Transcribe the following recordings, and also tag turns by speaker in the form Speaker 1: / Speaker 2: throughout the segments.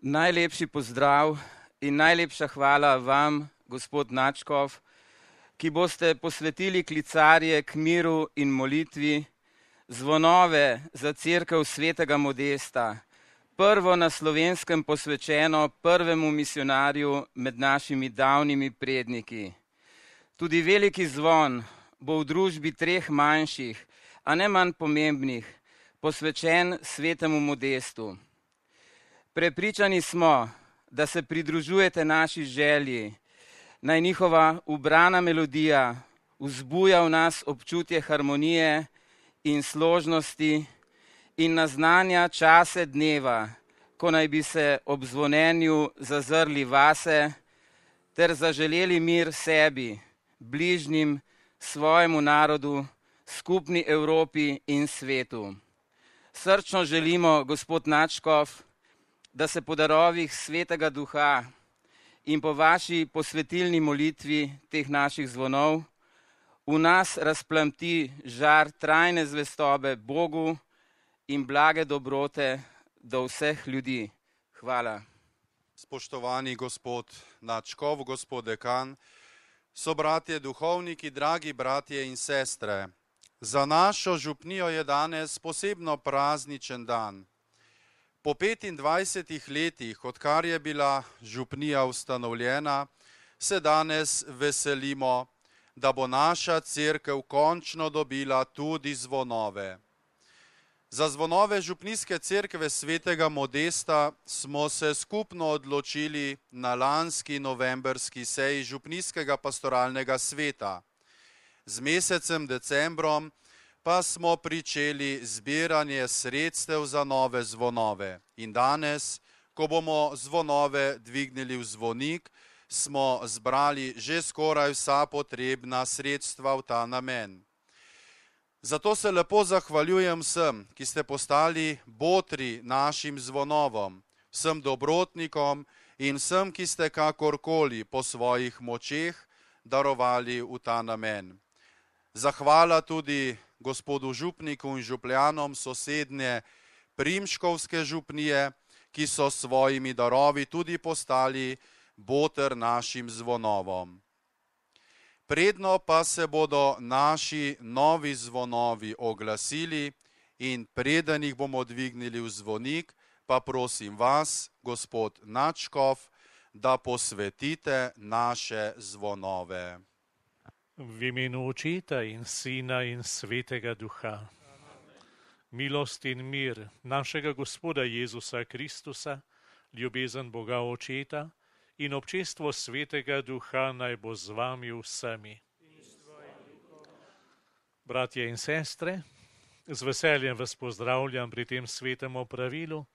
Speaker 1: Najlepši pozdrav in najlepša hvala vam, gospod Načkov, ki boste posvetili klicarje k miru in molitvi, zvonove za cerkev svetega Modesta, prvo na Slovenskem posvečeno prvemu misionarju med našimi davnimi predniki. Tudi veliki zvon bo v družbi treh manjših, a ne manj pomembnih, posvečen svetemu Modestu. Prepričani smo, da se pridružujete naši želji, naj njihova ubrana melodija vzbuja v nas občutje harmonije in složnosti in naznanja čase dneva, ko naj bi se ob zvonjenju zazrli vase ter zaželeli mir sebi, bližnjim, svojemu narodu, skupni Evropi in svetu. Srčno želimo, gospod Načkov, da se po darovih Svetega Duha in po vaši posvetilni molitvi teh naših zvonov v nas razplamti žar trajne zvestobe Bogu in blage dobrote do vseh ljudi. Hvala.
Speaker 2: Spoštovani gospod Načkov, gospod dekan, sobratje duhovniki, dragi bratje in sestre, za našo župnijo je danes posebno prazničen dan. Po 25 letih, odkar je bila župnija ustanovljena, se danes veselimo, da bo naša cerkev končno dobila tudi zvonove. Za zvonove župnijske cerkve svetega Modesta smo se skupno odločili na lanski novembrski seji župnijskega pastoralnega sveta. Z mesecem decembrom pa smo pričeli zbiranje sredstev za nove zvonove. In danes, ko bomo zvonove dvignili v zvonik, smo zbrali že skoraj vsa potrebna sredstva v ta namen. Zato se lepo zahvaljujem vsem, ki ste postali botri našim zvonovom, vsem dobrotnikom in vsem, ki ste kakorkoli po svojih močeh darovali v ta namen. Zahvala tudi gospodu župniku in župljanom sosednje Primškovske župnije, ki so s svojimi darovi tudi postali boter našim zvonovom. Predno pa se bodo naši novi zvonovi oglasili in preden jih bomo dvignili v zvonik, pa prosim vas, gospod Načkov, da posvetite naše zvonove.
Speaker 3: V imenu Očeta in Sina in Svetega Duha. Milost in mir našega Gospoda Jezusa Kristusa, ljubezen Boga Očeta in občestvo Svetega Duha naj bo z vami vsemi. Bratje in sestre, z veseljem vas pozdravljam pri tem svetem opravilu,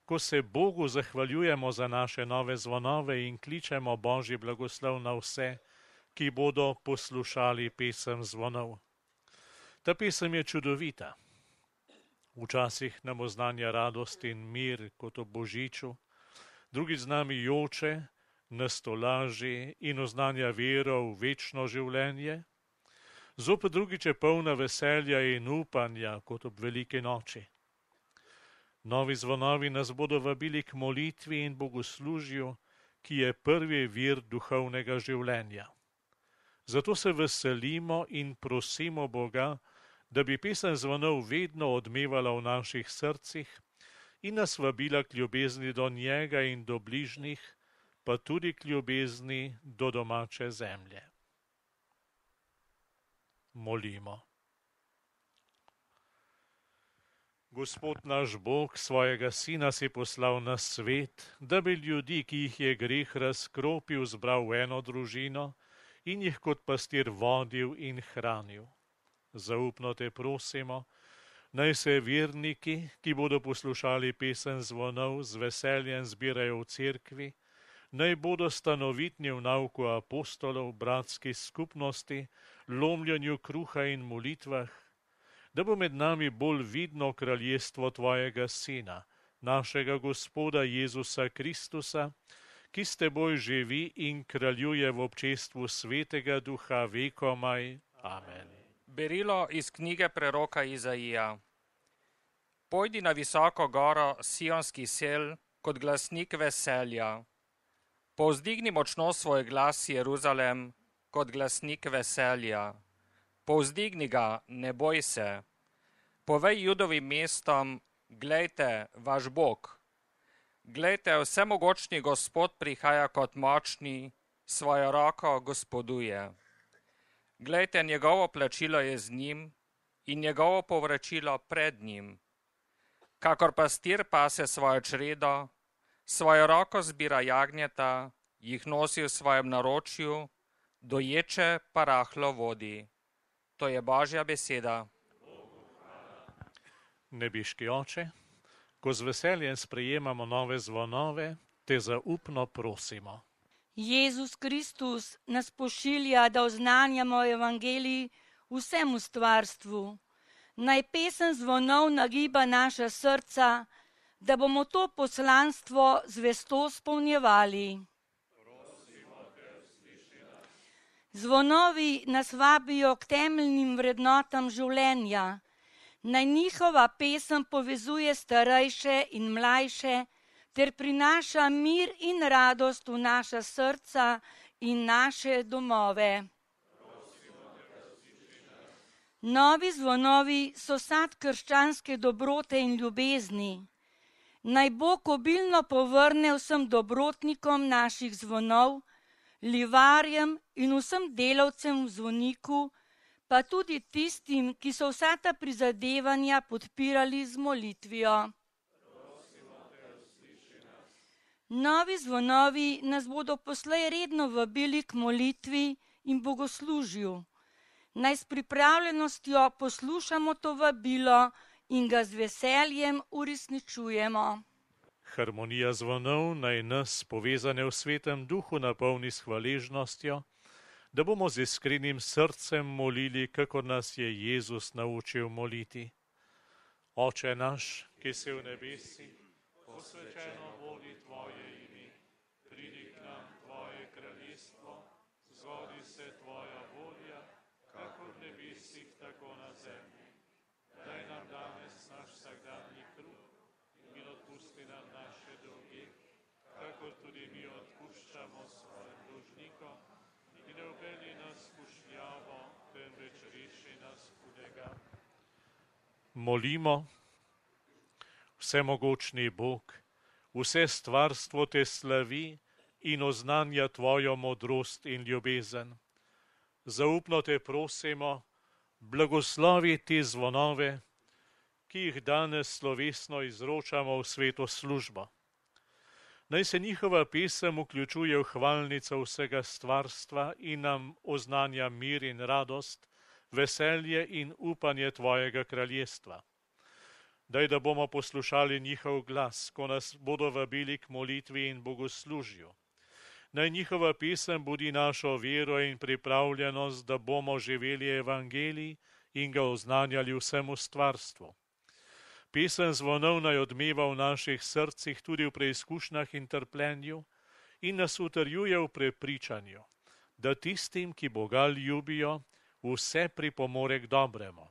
Speaker 3: ko se Bogu zahvaljujemo za naše nove zvonove in kličemo Božji blagoslov na vse, ki bodo poslušali pesem zvonov. Ta pesem je čudovita. Včasih nam oznanja radost in mir kot ob božiču, drugi z nami joče, nas tolaži in oznanja vero v večno življenje, zopet drugič je polna veselja in upanja kot ob veliki noči. Novi zvonovi nas bodo vabili k molitvi in bogoslužju, ki je prvi vir duhovnega življenja. Zato se veselimo in prosimo Boga, da bi pesem zvonov vedno odmevala v naših srcih in nas vabila k ljubezni do njega in do bližnjih, pa tudi k ljubezni do domače zemlje. Molimo. Gospod naš Bog, svojega Sina si poslal na svet, da bi ljudi, ki jih je greh razkropil, zbral v eno družino in jih kot pastir vodil in hranil. Zaupno te prosimo, naj se verniki, ki bodo poslušali pesem zvonov, z veseljem zbirajo v cerkvi, naj bodo stanovitni v nauku apostolov, bratski skupnosti, lomljenju kruha in molitvah, da bo med nami bolj vidno kraljestvo tvojega Sina, našega Gospoda Jezusa Kristusa, ki s teboj živi in kraljuje v občestvu Svetega Duha vekomaj. Amen.
Speaker 4: Berilo iz knjige preroka Izaija. Pojdi na visoko goro Sionski sel kot glasnik veselja. Povzdigni močno svoj glas, Jeruzalem, kot glasnik veselja. Povzdigni ga, ne boj se. Povej Judovim mestom, glejte, vaš Bog. Glejte, vsemogočni Gospod prihaja kot močni, svojo roko gospoduje. Glejte, njegovo plačilo je z njim in njegovo povračilo pred njim. Kakor pastir pase svojo čredo, svojo roko zbira jagnjeta, jih nosi v svojem naročju, doječe pa rahlo vodi. To je Božja beseda.
Speaker 3: Nebiški Oče, ko z veseljem sprejemamo nove zvonove, te zaupno prosimo.
Speaker 5: Jezus Kristus nas pošilja, da oznanjamo evangelij vsemu stvarstvu. Naj pesem zvonov nagiba naša srca, da bomo to poslanstvo zvesto izpolnjevali. Zvonovi nas vabijo k temeljnim vrednotam življenja. Naj njihova pesem povezuje starejše in mlajše ter prinaša mir in radost v naša srca in naše domove. Novi zvonovi so sad krščanske dobrote in ljubezni. Naj Bog obilno povrne vsem dobrotnikom naših zvonov, livarjem in vsem delavcem v zvoniku, pa tudi tistim, ki so vsa ta prizadevanja podpirali z molitvijo. Novi zvonovi nas bodo poslej redno vabili k molitvi in bogoslužju. Naj s pripravljenostjo poslušamo to vabilo in ga z veseljem uresničujemo.
Speaker 3: Harmonija zvonov naj nas, povezane v svetem duhu, napolni s hvaležnostjo, da bomo z iskrenim srcem molili, kakor nas je Jezus naučil moliti. Oče naš, ki si v nebesih, posvečeno bodi tvoje ime, pridi k nam tvoje kraljestvo, zgodi se tvoja volja, kakor v nebesih, tako na zemlji. Daj nam danes naš vsakdanji kruh in odpusti nam naše dolge, kakor tudi mi odpuščamo svojim dolžnikom, in ne uvedi nas v skušnjavo, temveč reši nas hudega. Molimo. Vsemogočni Bog, vse stvarstvo te slavi in oznanja tvojo modrost in ljubezen. Zaupno te prosimo, blagoslovi te zvonove, ki jih danes slovesno izročamo v sveto službo. Naj se njihova pesem vključuje v hvalnico vsega stvarstva in nam oznanja mir in radost, veselje in upanje tvojega kraljestva. Daj, da bomo poslušali njihov glas, ko nas bodo vabili k molitvi in bogoslužju. Naj njihova pesem budi našo vero in pripravljenost, da bomo živeli evangelij in ga oznanjali vsemu stvarstvu. Pesem zvonov naj odmeva v naših srcih tudi v preizkušnjah in trpljenju in nas utrjuje v prepričanju, da tistim, ki Boga ljubijo, vse pripomore k dobremu.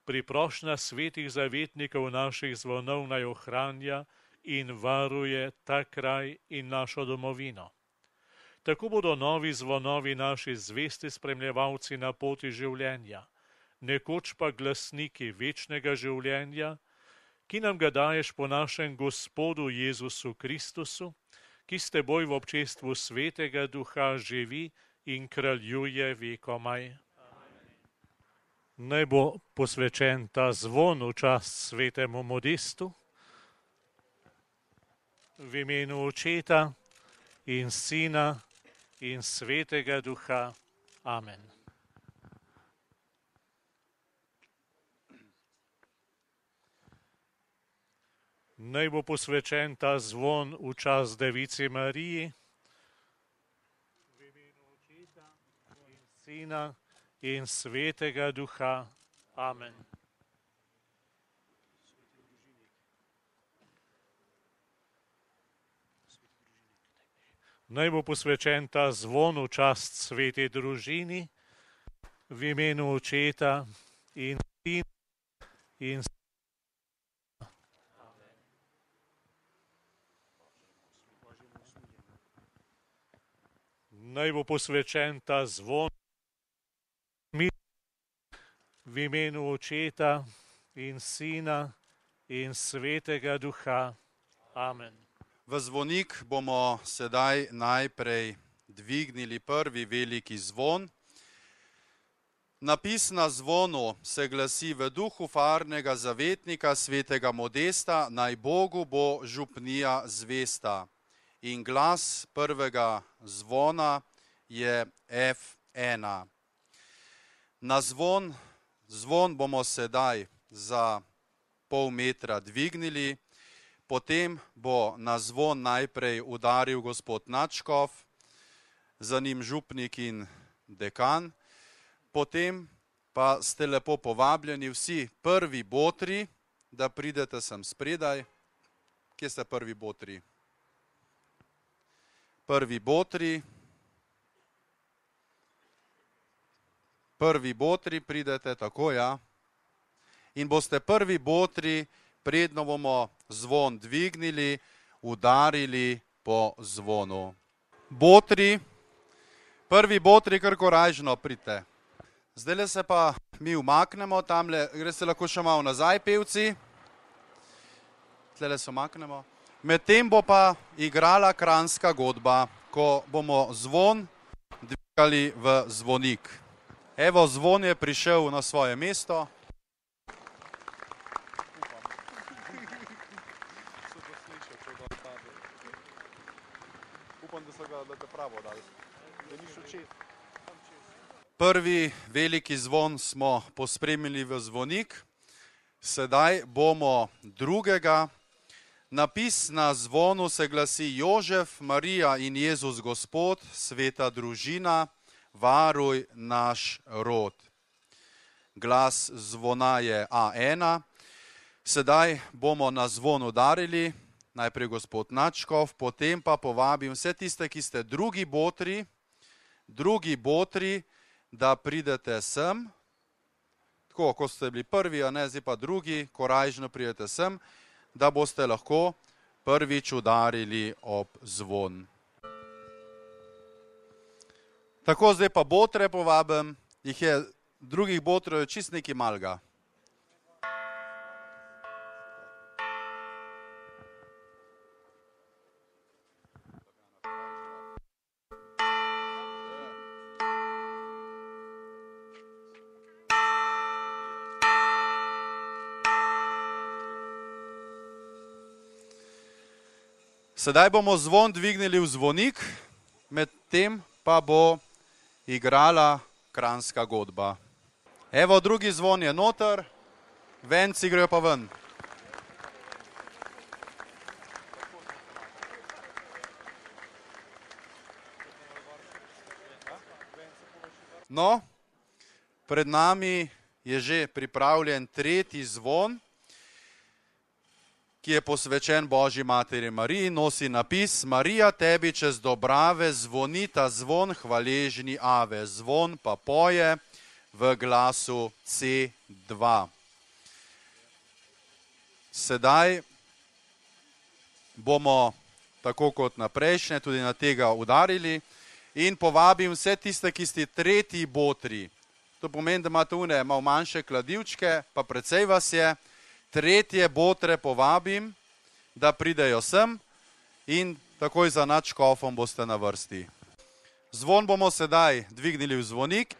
Speaker 3: Priprošnja svetih zavetnikov naših zvonov naj ohranja in varuje ta kraj in našo domovino. Tako bodo novi zvonovi naši zvesti spremljevalci na poti življenja, nekoč pa glasniki večnega življenja, ki nam ga daješ po našem Gospodu Jezusu Kristusu, ki s teboj v občestvu svetega duha živi in kraljuje vekomaj. Naj bo posvečen ta zvon v čast svetemu Modestu, v imenu Očeta in Sina in Svetega Duha. Amen. Naj bo posvečen ta zvon v čast Devici Mariji, v imenu Očeta in Sina in Svetega Duha. Amen. Naj bo posvečen ta zvon v čast sveti družini, v imenu Očeta in Sina in Svetega Duha. naj bo posvečen ta zvon v imenu Očeta in Sina in Svetega Duha. Amen.
Speaker 2: V zvonik bomo sedaj najprej dvignili prvi veliki zvon. Napis na zvonu se glasi: v duhu farnega zavetnika svetega Modesta, naj Bogu bo župnija zvesta. In glas prvega zvona je F1. Na zvon bomo sedaj za pol metra dvignili, potem bo na zvon najprej udaril gospod nadškof, za njim župnik in dekan, potem pa ste lepo povabljeni vsi prvi botri, da pridete sem spredaj. Kje ste prvi botri? Prvi botri pridete, tako ja. In boste prvi botri, predno bomo zvon dvignili, udarili po zvonu. Prvi botri, kar korajžno pridite. Zdajle se pa mi umaknemo, tamle greste lahko še malo nazaj, pevci. Tlele se umaknemo. Medtem bo pa igrala kranjska godba, ko bomo zvon dvigali v zvonik. Evo, zvon je prišel na svoje mesto. Prvi veliki zvon smo pospremili v zvonik, sedaj bomo drugega. Napis na zvonu se glasi: Jožef, Marija in Jezus Gospod, sveta družina, varuj naš rod. Glas zvona je A1. Sedaj bomo na zvon udarili, najprej gospod nadškof, potem pa povabim vse tiste, ki ste drugi botri, da pridete sem. Tako, ko ste bili prvi, a ne, zdaj pa drugi, korajžno pridete sem, da boste lahko prvič udarili ob zvon. Tako, zdaj pa botre povabim, jih je, drugih botrov je čist nekaj malega. Sedaj bomo zvon dvignili v zvonik, medtem pa bo igrala kranjska godba. Evo, drugi zvon je noter, venci grejo pa ven. No, pred nami je že pripravljen tretji zvon, ki je posvečen Božji materi Mariji, nosi napis: Marija, tebi čez dobrave zvoni ta zvon hvaležni ave. Zvon pa poje v glasu C2. Sedaj bomo, tako kot na prejšnje, tudi na tega udarili in povabim vse tiste, ki ste tretji botri. To pomeni, da imate une malo manjše kladivčke, pa precej vas je. Tretje botre povabim, da pridejo sem in takoj za nadškofom boste na vrsti. Zvon bomo sedaj dvignili v zvonik.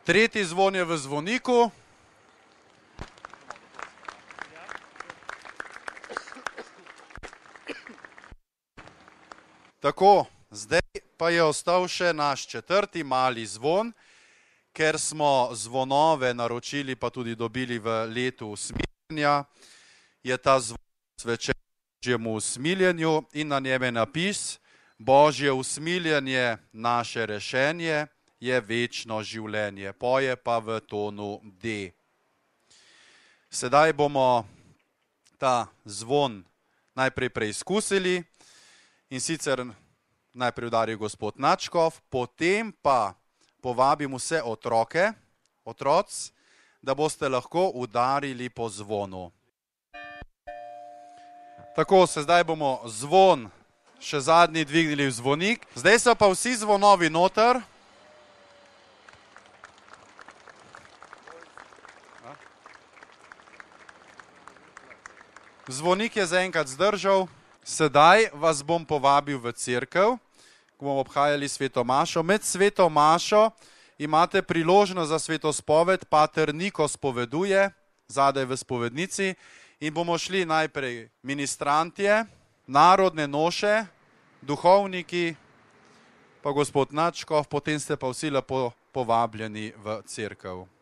Speaker 2: Tretji zvon je v zvoniku. Tako, zdaj pa je ostal še naš četrti mali zvon, ker smo zvonove naročili, pa tudi dobili v letu usmiljenja, je ta zvon posvečen Božjemu usmiljenju in na njem je napis: Božje usmiljenje, naše rešenje, je večno življenje. Poje pa v tonu D. Sedaj bomo ta zvon najprej preizkusili in sicer najprej udari gospod nadškof, potem pa povabim vse otroci, da boste lahko udarili po zvonu. Tako, se zdaj bomo zvon še zadnji dvignili zvonik. Zdaj so pa vsi zvonovi noter. Zvonik je zaenkrat zdržal. Sedaj vas bom povabil v cerkev, ko bomo obhajali sveto mašo. Med sveto mašo imate priložnost za svetospoved, pater Niko spoveduje, zadaj v spovednici, in bomo šli najprej ministrantje, narodne noše, duhovniki, pa gospod Načkov, potem ste pa vsi lepo povabljeni v cerkev.